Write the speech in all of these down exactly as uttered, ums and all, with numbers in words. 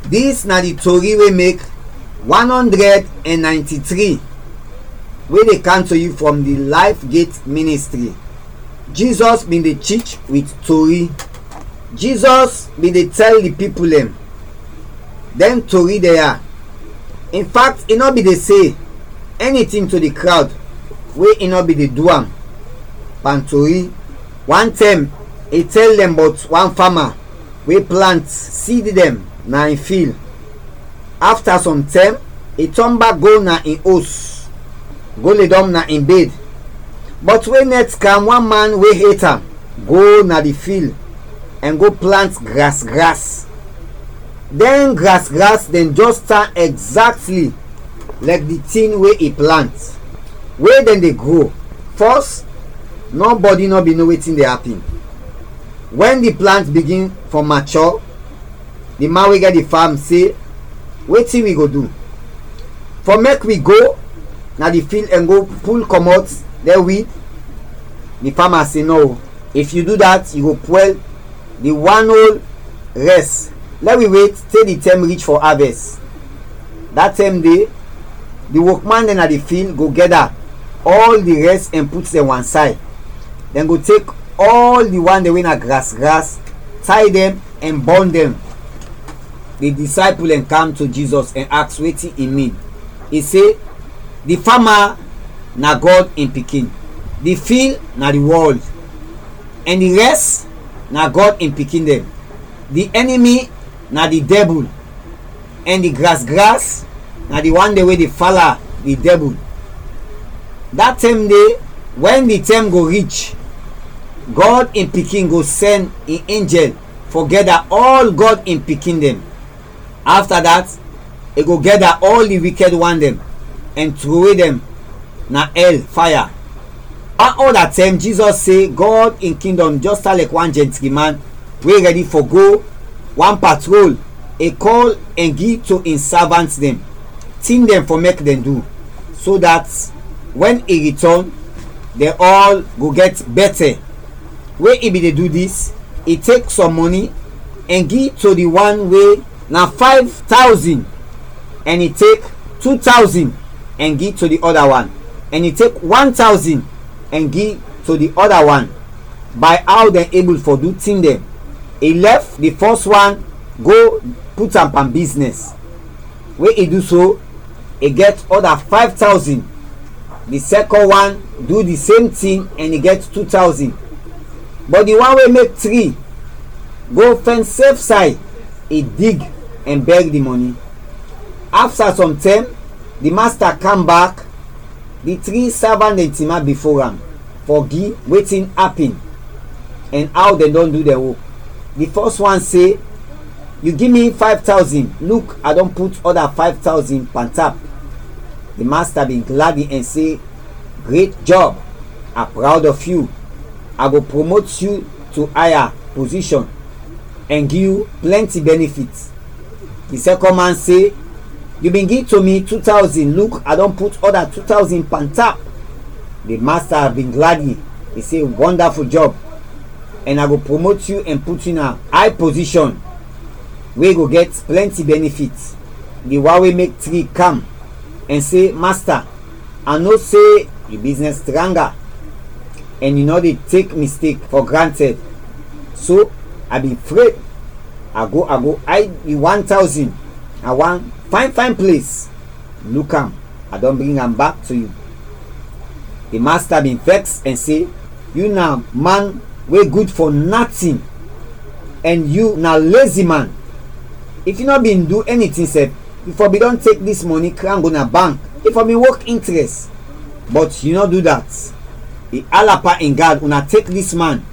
Dis na di tori wey make one hundred and ninety-three wey dey come to you from di Life Gate Ministry. Jesus bin dey teach with tori. Jesus bin dey tell di people dem dem tori dem ya. In fact, e no bin dey say anything to di crowd wey e no bin dey do am pan tori. One time, e tell dem about one farmer wey plant seed dem na in field. Afta some time, e turn back go na in os, go ledɔm na in bed. But wen nɛt kam, wan man we et am go na di field ɛn go plant gras-gras. Dɛn gras-gras dɛn jɛs tan exactly lɛk di tin we i plant, we dɛn de gro. Fɔs, nɔbɔdi nɔ bin no wetin de apin. Wɛn di plant bigin fɔ mature, di man we gɛt di fam se, wetin wi go du? Fɔ mek wi go na di field ɛn go pul kɔmɔt dɛn wid? Di fama se, nɔ, if yu du dat, yu go pwɛl di wan ol rɛs. Lɛ wi wet te di tɛm rich fɔ avɛs. Da tɛm de, di wokman dɛn na di field go gɛda ɔl di rɛs ɛn put dɛn wansay. Dɛn go tek ɔl di wan dɛn we na gras-gras, tay dɛn ɛn bɔn dɛn. Di disaipul dɛn kam to Jizɔs ɛn aks wetin i min. I se, di fama na Gɔd in pikin, di field na di wɔld, ɛn di rɛs na Gɔd in pikin dɛn. Di ɛnimi na di dɛbul, ɛn di gras-gras na di wan dɛn we de fala di dɛbul. Da tɛm de, wɛn di tɛm go rich, Gɔd in Pikin go sɛn in enjɛl fɔ gɛda ɔl Gɔd in pikin dɛn. Afta dat, i go gɛda ɔl di wikɛd wan dɛn ɛn trowe dɛn na ɛl faya. Wan ɔda tɛm, Jizɔs se Gɔd in Kingdɔm jɛs tan lɛk wan jɛntri man we rɛdi fɔ go wan patrol, i kɔl ɛn gi to in savant dɛn tin dɛn fɔ mek dɛn du, so dat wɛn i ritɔn, dɛn ɔl go gɛt bɛtɛ. We i bin de du dis, i tek sɔm mɔni ɛn gi to di wan we na fayv tawzin, ɛn i tek tu tawzin ɛn gi to di ɔda wan, ɛn i tek wan tawzin ɛn gi to di ɔda wan, bay aw dɛn ebul fɔ du tin dɛn. I lɛf di fɔs wan go put am pan biznɛs. We i du so, i gɛt ɔda fayv tawzin. Di sɛkɔn wan du di sem tin ɛn i gɛt tu tawzin. Bɔt di wan we mek tri go fɛn sef say, i dig ɛn bɛr di mɔni. Afta sɔm tɛm, di masta kam bak. Di tri savant dɛn tinap bifo am fɔ gi wetin apin ɛn aw dɛn dɔn du dɛn wok. Di fɔs wan se, yu gi mi fayv tawzin, luk, a dɔn put ɔda fayv tawzin pantap. Di masta bin gladi ɛn se, gret jɔb, a prawd of yu, a go promot yu to aya pozishon ɛn gi yu plɛnti bɛnifit. Di sɛkɔn man se, yu bin gi to mi tu tawzin, luk, a dɔn put ɔda tu tawzin pantap. Di masta bin gladi, i se, wondaful jɔb, ɛn a go promot yu ɛn put yu na ay pozishon we go gɛt plɛnti bɛnifit. Di wan we mek tri kam ɛn se, masta, a no se yu biznɛs tranga ɛn yu nɔ de tek mistek fɔ grantɛd. So, a bin fred, a go a go ayd di wan tawzin na wan fayn fayn ples. Luk am, a dɔn bring am bak to yu. Di masta bin vɛks ɛn se, yu na man we gud fɔ natin, ɛn yu na lezi man. If yu nɔ bin du ɛnitin sɛf, yu fɔ bin dɔn tek dis mɔni kran go na bank, yu fɔ bin wok intrɛs. Bɔt yu nɔ du dat. I ala pan in gad, una tek dis man,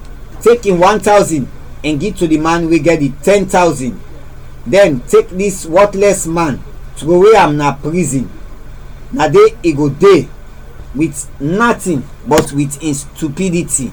tek in wan tawzin ɛn gi to di man we gɛt di tɛn tawzin. Dɛn tek dis wɔtlɛs man, trowe am na prizin. Na de i go de wit natin bɔt wit in stupiditi.